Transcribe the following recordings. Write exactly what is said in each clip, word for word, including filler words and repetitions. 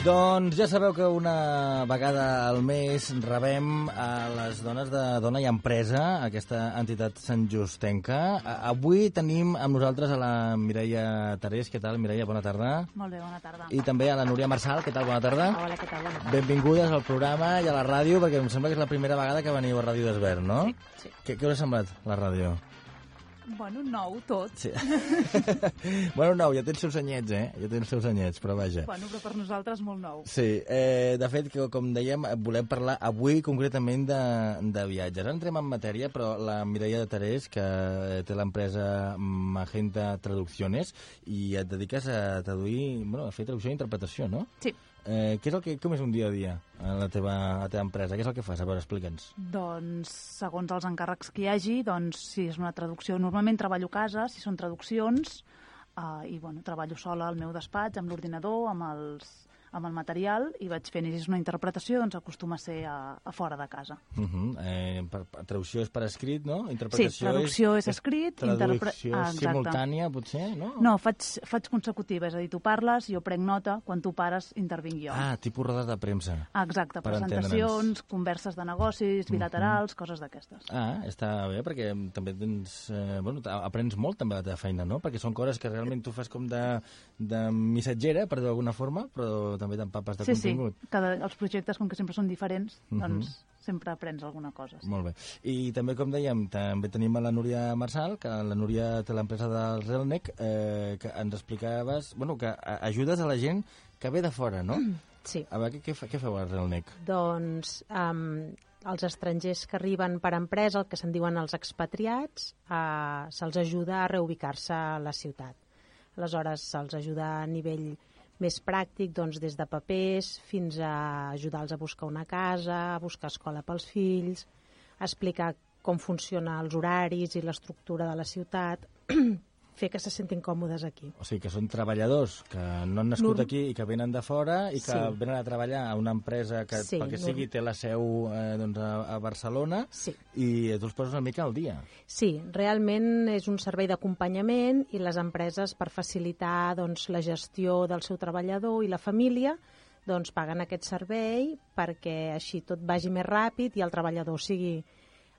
Doncs ja sabeu que una vegada al mes rebem a les dones de Dona i Empresa, aquesta entitat santjustenca. Avui tenim amb nosaltres a la Mireia Tarés. Què tal, Mireia? Bona tarda. Molt bé, bona tarda. I també a la Núria Marçal. Què tal? Bona tarda. Hola, què tal? Bona tarda. Benvingudes al programa i a la ràdio, perquè em sembla que és la primera vegada que veniu a Ràdio d'Esvern, no? Sí, sí. Què, què us ha semblat, la ràdio? Bueno, nou, tot. Sí. Bueno, nou, ja té els seus anyets, eh? Ja té els seus anyets, però vaja. Bueno, però per nosaltres molt nou. Sí, eh, de fet, que, com dèiem, volem parlar avui concretament de, de viatges. Ara entrem en matèria, però la Mireia de Tarés, que té l'empresa Magenta Traducciones, i et dediques a traduir, bueno, a fer traducció i interpretació, no? Sí. Eh, què és el que, com és un dia a dia a la teva, a la teva empresa? Què és el que fas? A veure, explica'ns. Doncs, segons els encàrrecs que hi hagi, doncs, si és una traducció... Normalment treballo a casa, si són traduccions, eh, i, bueno, treballo sola al meu despatx, amb l'ordinador, amb els... amb el material, i vaig fent, i si és una interpretació, doncs acostuma a ser a, a fora de casa. Uh -huh. eh, per, per, traducció és per escrit, no? Interpretació sí, traducció és, és escrit. Traducció interpre... ah, simultània, potser, no? No, faig, faig consecutiva, és a dir, tu parles, jo prenc nota, quan tu pares intervinc jo. Ah, tipus rodes de premsa. Ah, exacte, per presentacions, converses de negocis, bilaterals, uh -huh. coses d'aquestes. Ah, està bé, perquè també tens... Eh, bueno, aprens molt també la teva feina, no? Perquè són coses que realment tu fas com de, de missatgera, per dir d'alguna forma, però també t'empapes de sí, contingut. Sí, cada, els projectes, com que sempre són diferents, uh -huh. doncs sempre aprens alguna cosa. Sí. Molt bé. I també, com dèiem, també tenim a la Núria Marçal, que la Núria té l'empresa del Relnec, eh, que ens explicaves, bueno, que ajudes a la gent que ve de fora, no? Sí. A veure, què, què feu al Relnec? Doncs um, els estrangers que arriben per empresa, el que se'n diuen els expatriats, uh, se'ls ajuda a reubicar-se a la ciutat. Aleshores, se'ls ajuda a nivell més pràctic, doncs, des de papers fins a ajudar-los a buscar una casa, a buscar escola pels fills, a explicar com funcionen els horaris i l'estructura de la ciutat, fer que se sentin còmodes aquí. O sigui, que són treballadors que no han nascut Norm... aquí i que venen de fora i que sí. venen a treballar a una empresa que, sí, pel que sigui, té la seu eh, doncs, a, a Barcelona sí. i tu els poses una mica al dia. Sí, realment és un servei d'acompanyament i les empreses, per facilitar doncs, la gestió del seu treballador i la família, doncs paguen aquest servei perquè així tot vagi més ràpid i el treballador sigui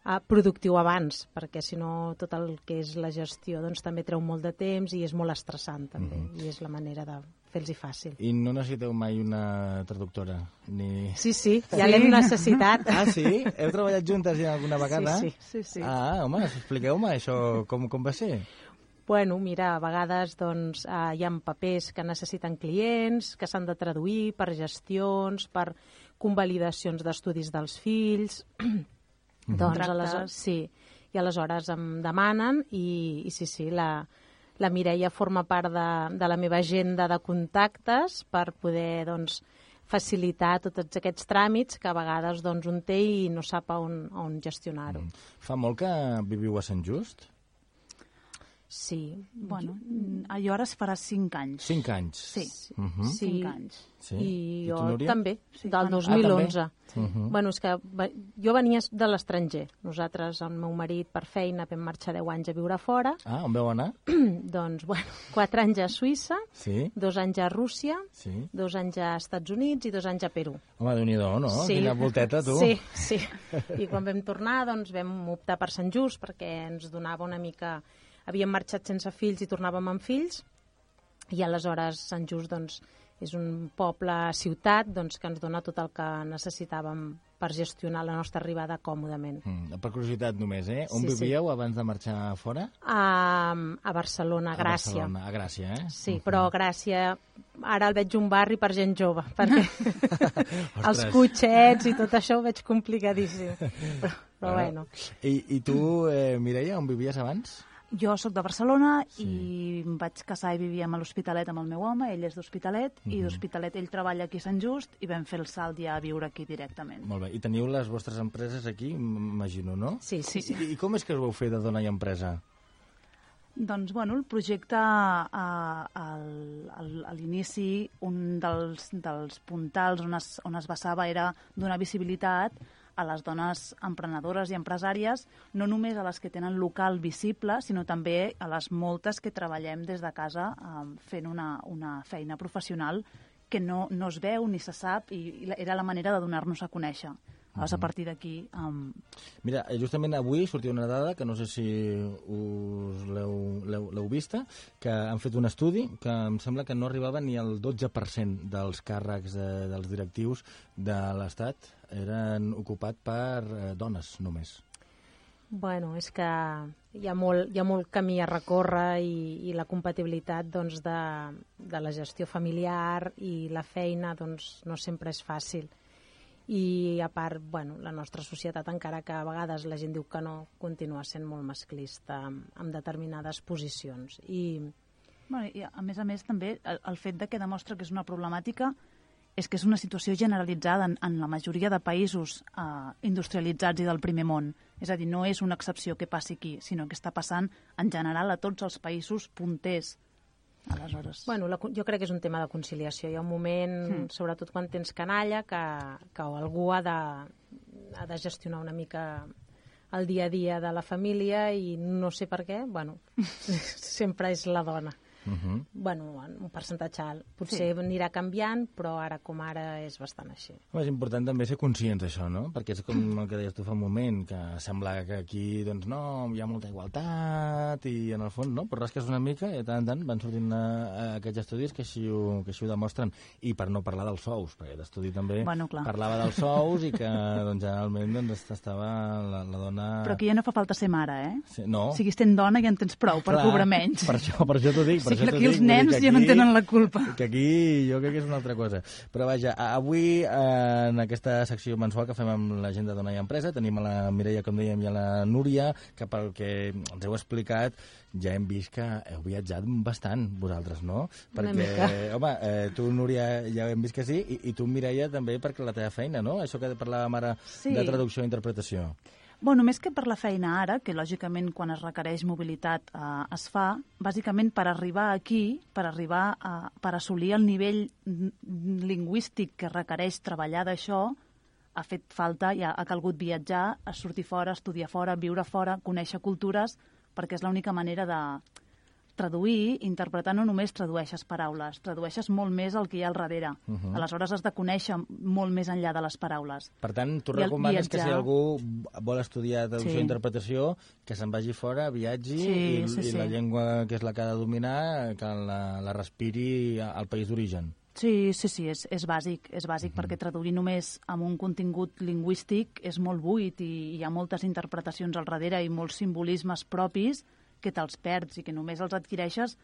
Uh, productiu abans, perquè si no tot el que és la gestió doncs, també treu molt de temps i és molt estressant també, mm -hmm. i és la manera de fer-los fàcil. I no necessiteu mai una traductora? Ni... Sí, sí, ja sí. l'hem necessitat. Ah, sí? Heu treballat juntes ja alguna vegada? Sí, sí. sí, sí. Ah, home, expliqueu-me això, com, com va ser? Bueno, mira, a vegades doncs, uh, hi ha papers que necessiten clients, que s'han de traduir per gestions, per convalidacions d'estudis dels fills... Mm-hmm. Doncs aleshores, sí, i aleshores em demanen i, i sí, sí, la, la Mireia forma part de, de la meva agenda de contactes per poder doncs, facilitar tots aquests tràmits que a vegades doncs, un té i no sap on, on gestionar-ho. Mm. Fa molt que viviu a Sant Just? Sí. Bueno, jo ara es farà cinc anys. Cinc anys? Sí, uh -huh. sí. cinc anys. Sí. I, I jo tu, també, sí, del quan... dos mil onze. Ah, sí. uh -huh. Bueno, és que jo venia de l'estranger. Nosaltres, el meu marit, per feina, vam marxar deu anys a viure fora. Ah, on veu anar? Doncs, bueno, quatre anys a Suïssa, sí. dos anys a Rússia, sí. dos anys a Estats Units i dos anys a Perú. Home, Déu-n'hi-do, no? Sí. Quina volteta, tu. Sí, sí. I quan vam tornar, doncs, vam optar per Sant Just, perquè ens donava una mica... Havíem marxat sense fills i tornàvem amb fills, i aleshores Sant Just doncs, és un poble-ciutat doncs, que ens dona tot el que necessitàvem per gestionar la nostra arribada còmodament. Mm, per curiositat només, eh? On sí, vivíeu sí. abans de marxar fora? A, a Barcelona, a Gràcia. A Barcelona, a Gràcia, eh? Sí, uh -huh. però Gràcia, ara el veig un barri per gent jove, perquè els cotxets i tot això ho veig complicadíssim. Però, però bueno. I, I tu, eh, Mireia, on vivies abans? Jo sóc de Barcelona sí. i em vaig casar i vivíem a l'Hospitalet amb el meu home, ell és d'Hospitalet, uh -huh. i d'Hospitalet ell treballa aquí a Sant Just i vam fer el salt ja a viure aquí directament. Molt bé, i teniu les vostres empreses aquí, m'imagino, no? Sí, sí, sí. I, I com és que us vau fer de Dona i Empresa? Doncs, bueno, el projecte a, a, a l'inici, un dels, dels puntals on es, on es basava era donar visibilitat a les dones emprenedores i empresàries, no només a les que tenen local visible, sinó també a les moltes que treballem des de casa eh, fent una, una feina professional que no, no es veu ni se sap i, i era la manera de donar-nos a conèixer. Llavors, a partir d'aquí... Um... Mira, justament avui sortia una dada, que no sé si us l'heu vista, que han fet un estudi que em sembla que no arribava ni al dotze per cent dels càrrecs de, dels directius de l'Estat eren ocupats per eh, dones, només. Bueno, és que hi ha molt, hi ha molt camí a recórrer i, i la compatibilitat doncs, de, de la gestió familiar i la feina doncs, no sempre és fàcil. I a part, bueno, la nostra societat, encara que a vegades la gent diu que no, continua sent molt masclista en, en determinades posicions. I... Bueno, i a més a més també el, el fet de que demostra que és una problemàtica és que és una situació generalitzada en, en la majoria de països eh, industrialitzats i del primer món. És a dir, no és una excepció que passi aquí, sinó que està passant en general a tots els països punters. Aleshores... Bueno, la, jo crec que és un tema de conciliació. Hi ha un moment, mm. sobretot quan tens canalla, que, que algú ha de, ha de gestionar una mica el dia a dia de la família i no sé per què, bueno, sempre és la dona. Uh-huh. Bueno, un percentatge alt. Potser sí. Anirà canviant, però ara com ara és bastant així. Home, és important també ser conscients d'això, no? Perquè és com el que deies tu fa un moment, que sembla que aquí, doncs no, hi ha molta igualtat i en el fons, no? Però rasques una mica i de tant en tant van sortint a, a aquests estudis que així, ho, que així ho demostren. I per no parlar dels sous, perquè l'estudi també bueno, parlava dels sous i que doncs, generalment doncs, estava la, la dona... Però aquí ja no fa falta ser mare, eh? Sí, no. O sigui, sent dona ja en tens prou per cobrar menys. Per això, per això t'ho dic. Sí, aquí els nens ja no en tenen la culpa. Que aquí jo crec que és una altra cosa. Però vaja, avui en aquesta secció mensual que fem amb la gent de Dona i Empresa tenim a la Mireia, com dèiem, i a la Núria, que pel que ens heu explicat ja hem vist que heu viatjat bastant vosaltres, no? Perquè, home, eh, tu, Núria, ja hem vist que sí, i, i tu, Mireia, també perquè la teva feina, no? Això que parlàvem ara sí. de traducció i interpretació. Bueno, més que per la feina ara, que lògicament quan es requereix mobilitat eh, es fa, bàsicament per arribar aquí, per arribar a, per assolir el nivell lingüístic que requereix treballar d'això, ha fet falta, ja ha calgut viatjar, a sortir fora, estudiar fora, viure fora, conèixer cultures, perquè és l'única manera de traduir, interpretar no només tradueixes paraules, tradueixes molt més el que hi ha al darrere. Uh -huh. Aleshores has de conèixer molt més enllà de les paraules. Per tant, tu recomanes que si algú vol estudiar traducció sí. i interpretació, que se'n vagi fora, viatgi, sí, i, sí, i sí. la llengua que és la que ha de dominar, que la, la respiri al país d'origen. Sí, sí, sí, és, és bàsic, és bàsic uh -huh. perquè traduir només amb un contingut lingüístic és molt buit i hi ha moltes interpretacions al darrere i molts simbolismes propis que te'ls perds i que només els adquireixes.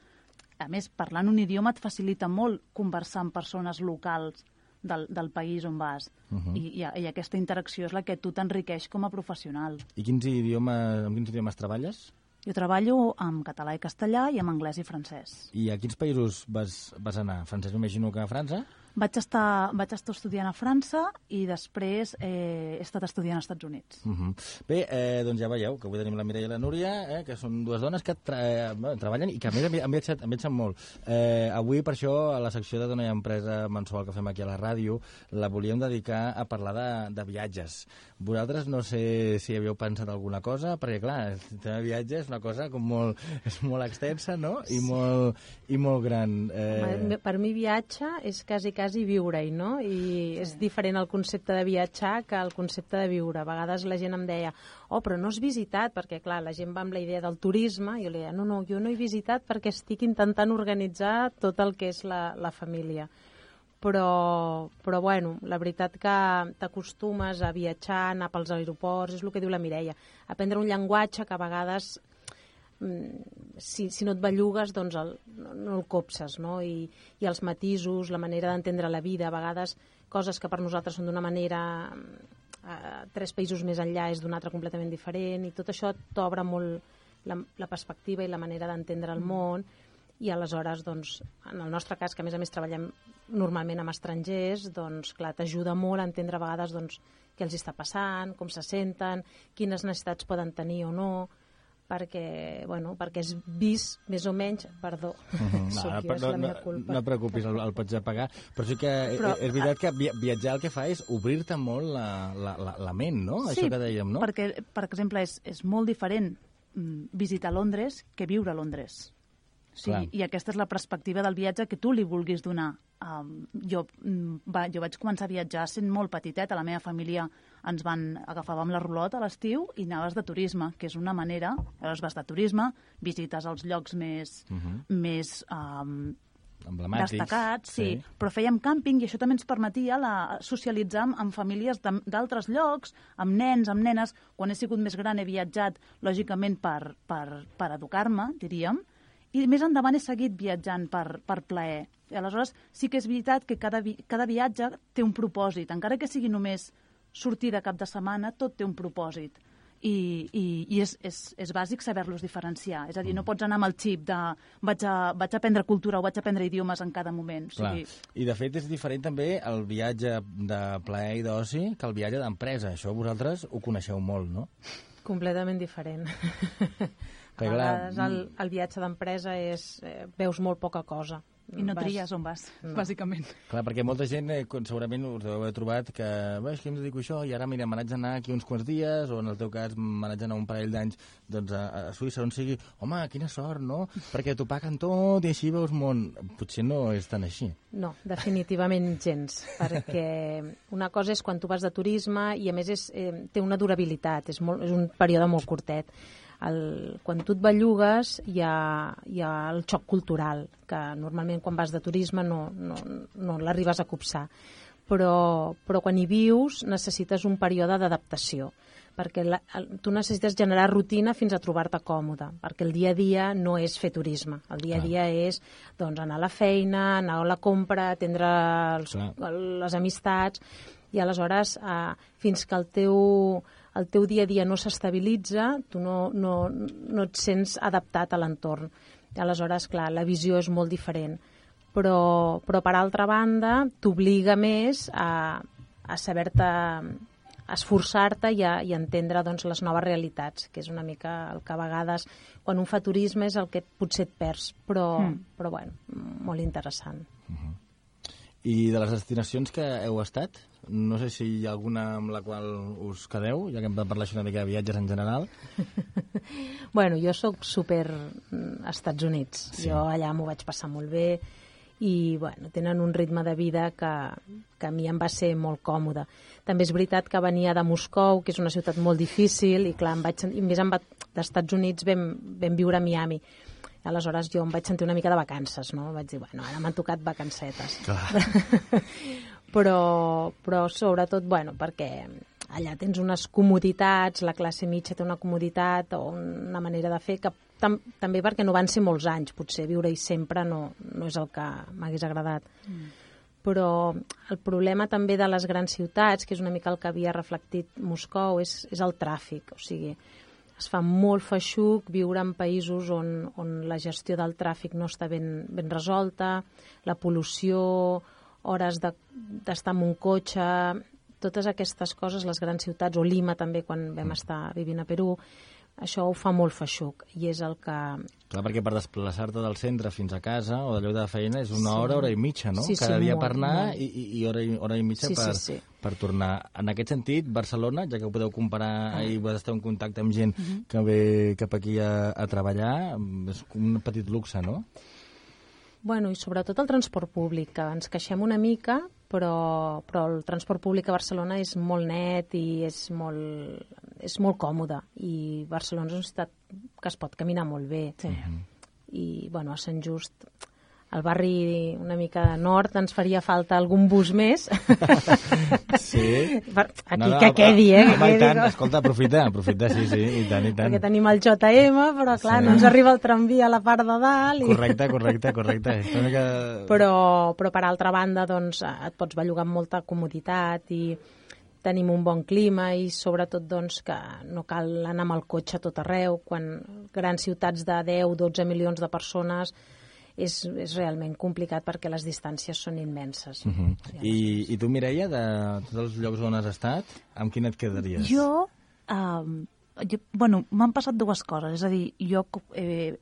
A més, parlant un idioma et facilita molt conversar amb persones locals del, del país on vas. Uh-huh. I, i, I aquesta interacció és la que tu t'enriqueix com a professional. I quins idiomes, amb quins idiomes treballes? Jo treballo amb català i castellà i amb anglès i francès. I a quins països vas, vas anar? Francès, m'imagino que a França? Vaig estar, vaig estar estudiant a França i després eh, he estat estudiant als Estats Units. Uh-huh. Bé, eh, doncs ja veieu que avui tenim la Mireia i la Núria, eh, que són dues dones que tra eh, treballen i que a més han viatjat, han viatjat molt. Eh, avui, per això, a la secció de Dona i Empresa mensual que fem aquí a la ràdio, la volíem dedicar a parlar de, de viatges. Vosaltres no sé si havíeu pensat alguna cosa, perquè clar, el tema de viatge és una cosa com molt, és molt extensa, no? I, sí. molt, i molt gran. Eh... Per mi viatge és quasi quasi viure-hi, no? I és diferent el concepte de viatjar que el concepte de viure. A vegades la gent em deia, oh, però no has visitat, perquè clar, la gent va amb la idea del turisme, i jo li deia, no, no, jo no he visitat perquè estic intentant organitzar tot el que és la, la família. Però, però bueno, la veritat que t'acostumes a viatjar, anar pels aeroports, és el que diu la Mireia, aprendre un llenguatge que a vegades Si, si no et bellugues, doncs el, no, no el copses, no? I, i els matisos, la manera d'entendre la vida, a vegades coses que per nosaltres són d'una manera, eh, tres països més enllà és d'una altra completament diferent, i tot això t'obre molt la, la perspectiva i la manera d'entendre el món, i aleshores, doncs, en el nostre cas, que a més a més treballem normalment amb estrangers, doncs, clar, t'ajuda molt a entendre a vegades doncs, què els està passant, com se senten, quines necessitats poden tenir o no, perquè, bueno, perquè és vist més o menys, perdó, uh-huh. no, soc jo, és la meva culpa. No, no et preocupis, el, el pots apagar, però sí que però, és veritat que viatjar el que fa és obrir-te molt la, la, la, la ment, no? Sí, això que dèiem, no? perquè, per exemple, és, és molt diferent visitar Londres que viure a Londres. Sí, i aquesta és la perspectiva del viatge que tu li vulguis donar. Um, jo, va, jo vaig començar a viatjar sent molt petiteta. La meva família ens van agafàvem la rulota a l'estiu i anaves de turisme, que és una manera... Llavors vas de turisme, visites els llocs més... Uh -huh. més um, emblemàtics, destacats, sí. sí. Però fèiem càmping i això també ens permetia la, socialitzar amb, amb famílies d'altres llocs, amb nens, amb nenes. Quan he sigut més gran he viatjat, lògicament, per, per, per educar-me, diríem, i més endavant he seguit viatjant per, per plaer. I aleshores sí que és veritat que cada, vi cada viatge té un propòsit, encara que sigui només sortir de cap de setmana, tot té un propòsit. I, i, i és, és, és bàsic saber-los diferenciar. És a dir, no pots anar amb el xip de vaig a, vaig a aprendre cultura o vaig a aprendre idiomes en cada moment. O sigui... I de fet és diferent també el viatge de plaer i d'oci que el viatge d'empresa. Això vosaltres ho coneixeu molt, no? Completament diferent. A vegades el, el viatge d'empresa és... Eh, veus molt poca cosa. I no vas... tries on vas, no. bàsicament. Clar, perquè molta gent eh, segurament us deu haver trobat que, bé, és que em dedico a això i ara, mira, me n'haig d'anar aquí uns quants dies, o en el teu cas me n'haig d'anar un parell d'anys doncs, a, a Suïssa, on sigui. Home, quina sort, no? Perquè t'ho paguen tot i així veus món. Potser no és tan així. No, definitivament gens, perquè una cosa és quan tu vas de turisme i a més és, eh, té una durabilitat, és, molt, és un període molt curtet. El, quan tu et bellugues hi ha, hi ha el xoc cultural, que normalment quan vas de turisme no, no, no l'arribes a copsar. Però, però quan hi vius necessites un període d'adaptació, perquè la, el, tu necessites generar rutina fins a trobar-te còmode, perquè el dia a dia no és fer turisme. El dia a dia és doncs, anar a la feina, anar a la compra, atendre els, les amistats, i aleshores eh, fins que el teu... el teu dia a dia no s'estabilitza, tu no, no, no et sents adaptat a l'entorn. Aleshores, clar, la visió és molt diferent. Però, però per altra banda, t'obliga més a, a saber-te, a esforçar-te i a, i a entendre doncs, les noves realitats, que és una mica el que a vegades, quan un fa turisme, és el que potser et perds, però, mm. però bueno, molt interessant. Uh-huh. I de les destinacions que heu estat? No sé si hi ha alguna amb la qual us quedeu, ja que hem de parlar una mica de viatges en general. Bueno, jo sóc super Estats Units. Sí. Jo allà m'ho vaig passar molt bé i bueno, tenen un ritme de vida que, que a mi em va ser molt còmode. També és veritat que venia de Moscou, que és una ciutat molt difícil, i clar, em vaig, i més em va, d'Estats Units vam, vam viure a Miami. Aleshores jo em vaig sentir una mica de vacances, no? Vaig dir, bueno, ara m'han tocat vacancetes. però, però sobretot, bueno, perquè allà tens unes comoditats, la classe mitja té una comoditat o una manera de fer que tam també perquè no van ser molts anys, potser viure-hi sempre no, no és el que m'hagués agradat. Mm. Però el problema també de les grans ciutats, que és una mica el que havia reflectit Moscou, és, és el tràfic, o sigui, es fa molt feixuc viure en països on, on la gestió del tràfic no està ben, ben resolta, la pol·lució, hores d'estar de, en un cotxe, totes aquestes coses, les grans ciutats, o Lima també, quan vam estar vivint a Perú, això ho fa molt feixuc, i és el que... Clar, perquè per desplaçar-te del centre fins a casa o de lloc de feina és una hora, sí. hora i mitja, no? Sí, Cada sí, dia molt, per anar molt. i, i hora, i hora i mitja sí, per, sí, sí. per tornar. En aquest sentit, Barcelona, ja que ho podeu comparar ah. i vas estar en contacte amb gent uh -huh. que ve cap aquí a, a treballar, és un petit luxe, no? Bueno, i sobretot el transport públic, que ens queixem una mica, però, però el transport públic a Barcelona és molt net i és molt, és molt còmode. I Barcelona és una ciutat que es pot caminar molt bé. Sí. I, bueno, a Sant Just, al barri una mica de nord, ens faria falta algun bus més. Sí? Aquí no, no, que quedi, eh? Que quedi, tant. Escolta, aprofita, aprofita, sí, sí, i tant, i tant. Perquè tenim el J M, però clar, sí. no ens arriba el tramvia a la part de dalt. I... Correcte, correcte, correcte. Que... Però, però per altra banda, doncs, et pots bellugar amb molta comoditat i tenim un bon clima i sobretot doncs, que no cal anar amb el cotxe a tot arreu. Quan grans ciutats de deu dotze milions de persones és, és realment complicat perquè les distàncies són immenses. Uh -huh. I, I tu, Mireia, de tots els llocs on has estat, amb quin et quedaries? Jo, um, jo bueno, m'han passat dues coses. És a dir, jo he,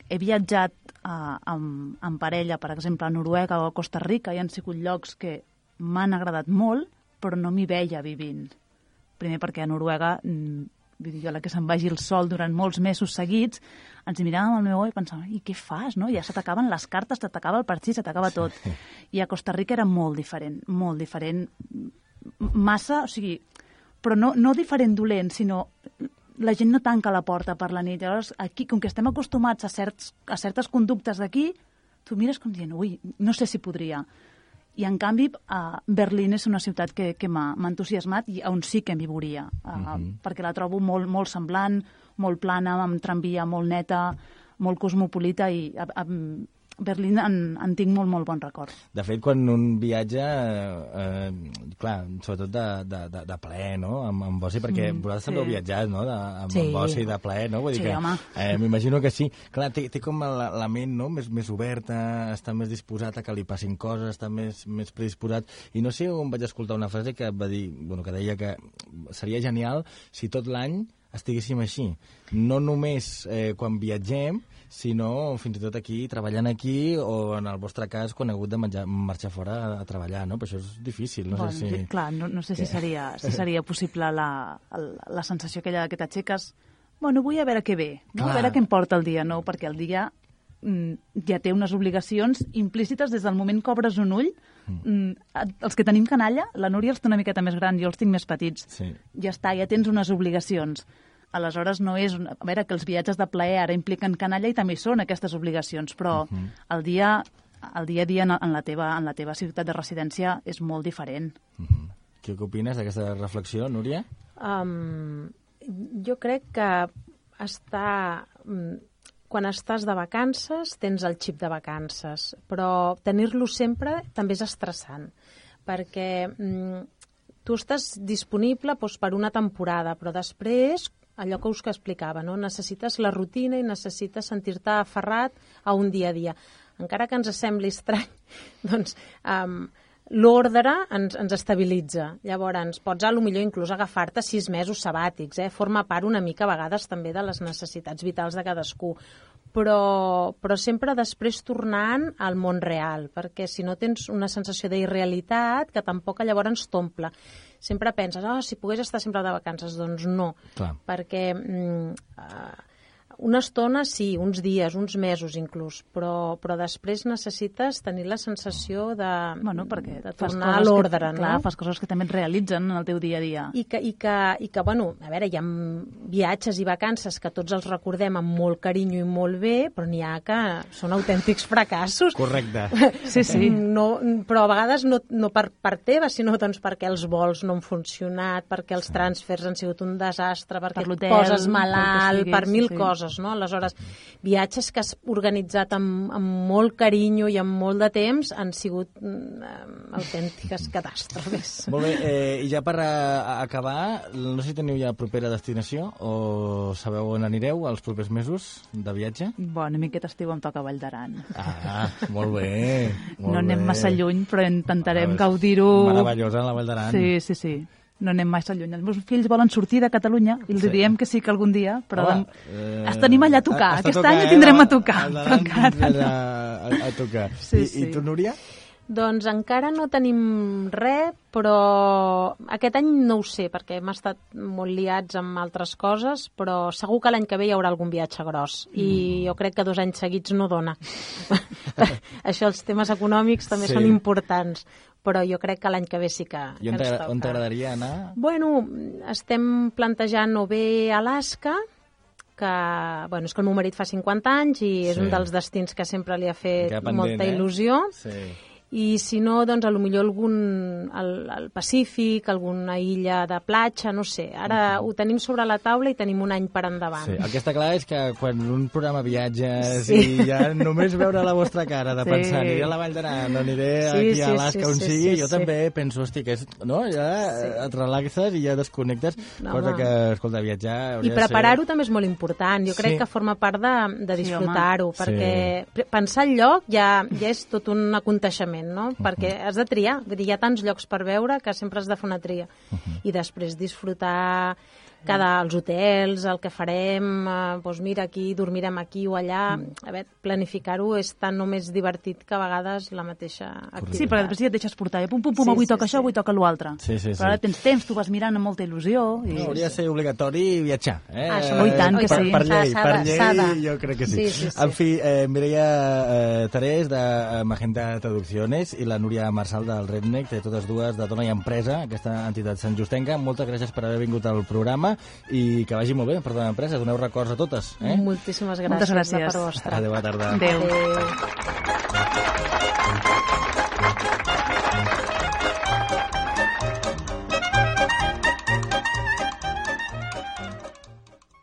he viatjat uh, amb, amb parella, per exemple, a Noruega o a Costa Rica, i han sigut llocs que m'han agradat molt, però no m'hi veia vivint. Primer perquè a Noruega vull dir, jo la que se'n vagi el sol durant molts mesos seguits, ens miràvem al meu oi i pensàvem, i què fas, no? Ja se t'acaben les cartes, se t'acaba el partit, se t'acaba tot. I a Costa Rica era molt diferent, molt diferent, massa, o sigui, però no, no diferent dolent, sinó la gent no tanca la porta per la nit. Llavors, aquí, com que estem acostumats a, certs, a certes conductes d'aquí, tu mires com dient, ui, no sé si podria. I, en canvi, uh, Berlín és una ciutat que, que m'ha entusiasmat i on sí que m'hi veuria, uh, uh-huh. perquè la trobo molt, molt semblant, molt plana, amb tramvia molt neta, molt cosmopolita i a, a Berlín en, en tinc molt, molt bon record. De fet, quan un viatja, eh, clar, sobretot de, de, de, de plaer, no?, amb, amb oci, perquè mm, vosaltres sí. també heu viatjat, no?, de, amb, sí. amb oci de plaer, no? Vull dir sí, que, home. Eh, m'imagino que sí. Clar, té, té com la, la ment, no?, més, més oberta, està més disposat a que li passin coses, està més, més predisposat. I no sé on vaig escoltar una frase que va dir, bueno, que deia que seria genial si tot l'any estiguéssim així. No només eh, quan viatgem, sinó fins i tot aquí, treballant aquí, o en el vostre cas, quan heu hagut de menjar, marxar fora a, a treballar, no? Però això és difícil, no bueno, sé si... Clar, no, no sé si seria, si seria possible la, la, la sensació aquella que t'aixeques, bueno, vull a veure què ve, no? A veure què em porta el dia, no? Perquè el dia mm, ja té unes obligacions implícites des del moment que obres un ull. Mm, els que tenim canalla, la Núria els té una miqueta més gran, jo els tinc més petits. Sí. Ja està, ja tens unes obligacions. Aleshores, no és... Una... A veure, que els viatges de plaer ara impliquen canalla i també són aquestes obligacions, però uh-huh. el dia el dia a dia en la teva, en la teva ciutat de residència és molt diferent. Uh-huh. Què opines d'aquesta reflexió, Núria? Um, jo crec que està... Quan estàs de vacances, tens el xip de vacances, però tenir-lo sempre també és estressant, perquè mm, tu estàs disponible doncs, per una temporada, però després, allò que us que explicava, no? Necessites la rutina i necessites sentir-te aferrat a un dia a dia. Encara que ens sembli estrany, doncs um, l'ordre ens, ens estabilitza. Llavors, pots a lo millor inclús agafar-te sis mesos sabàtics, eh? Forma part una mica a vegades també de les necessitats vitals de cadascú. Però, però sempre després tornant al món real, perquè si no tens una sensació d'irrealitat que tampoc llavors ens t'omple. Sempre penses, oh, si pogués estar sempre de vacances, doncs no. Clar. Perquè mm, uh, una estona sí, uns dies, uns mesos inclús, però, però després necessites tenir la sensació de, bueno, perquè de tornar a l'ordre, no? Clar, fas coses que també et realitzen en el teu dia a dia. I que, i que, i que bueno, a veure, hi ha viatges i vacances que tots els recordem amb molt carinyo i molt bé, però n'hi ha que són autèntics fracassos. Correcte. Sí, sí. No, però a vegades no, no per part teva, sinó doncs perquè els vols no han funcionat, perquè els transfers han sigut un desastre, perquè per et poses malalt, sigui, per mil sí, sí. coses. No? Aleshores, viatges que has organitzat amb, amb molt carinyo i amb molt de temps han sigut mm, autèntiques catàstrofes. Molt bé, eh, i ja per a, a acabar, no sé si teniu ja propera destinació o sabeu on anireu els propers mesos de viatge? Bueno, a mi aquest estiu em toca Vall d'Aran. Ah, molt bé. Molt no anem bé. massa lluny, però intentarem ah, gaudir-ho... Meravellosa, la Vall d'Aran. Sí, sí, sí. No anem massa lluny. Els meus fills volen sortir de Catalunya i els sí. diem que sí que algun dia, però oh, eh, es tenim allà a tocar. Aquest tocar, any ho tindrem eh, a tocar. Però encara no. a, a tocar. Sí, I, sí. I tu, Núria? Doncs encara no tenim res, però aquest any no ho sé, perquè hem estat molt liats amb altres coses, però segur que l'any que ve hi haurà algun viatge gros. I mm. jo crec que dos anys seguits no dona. Això, els temes econòmics també sí. són importants. Però jo crec que l'any que ve sí que, I on que ens toca. On t'agradaria anar? Bueno, estem plantejant o bé Alaska, que, bueno, és que el meu marit fa cinquanta anys i és sí. un dels destins que sempre li ha fet pendent, molta il·lusió. Eh? Sí. I si no, doncs, a lo millor algun, al, al Pacífic, alguna illa de platja, no sé. Ara uh-huh. ho tenim sobre la taula i tenim un any per endavant. Sí. El que està clar és que quan un programa viatges sí. i ja només veure la vostra cara de sí. pensar, aniré a la Vall d'Aran, aniré sí, aquí a Alaska, sí, on sí, sigui, sí, jo sí. també penso, hosti, que és, no? Ja sí. et relaxes i ja desconnectes, no, cosa que, escolta, viatjar... I preparar-ho ser... també és molt important. Jo crec sí. que forma part de, de disfrutar-ho, sí, perquè sí. pensar el lloc ja, ja és tot un aconteixement, no? Uh-huh. Perquè has de triar, vull dir, hi ha tants llocs per veure que sempre has de fer una tria. Uh-huh. I després disfrutar cada, els hotels, el que farem, eh, doncs mira, aquí dormirem aquí o allà. A veure, planificar-ho és tan només divertit que a vegades la mateixa activitat. Sí, perquè després ja et deixes portar. Pum, pum, pum, Sí, avui sí, toca sí. això, avui toca l'altre. Sí, sí, sí. Però ara tens temps, tu vas mirant amb molta il·lusió. I... No, hauria de ser obligatori viatjar. Eh? Ah, això Oh, i tant que per, sí. Per llei, S'ha per de- llei s'ha de. jo crec que sí. Sí, sí, sí. En fi, eh, Mireia eh, Terés, de eh, Magenta Traducciones, i la Núria Marçal, del Redneck, de totes dues, de Dona i Empresa, aquesta entitat santjustenca. Moltes gràcies per haver vingut al programa i que vagi molt bé per Dona i Empresa. Doneu records a totes. Eh? Moltíssimes gràcies, Moltes gràcies. de part vostra. Adéu, bona tarda. Adéu. Adéu.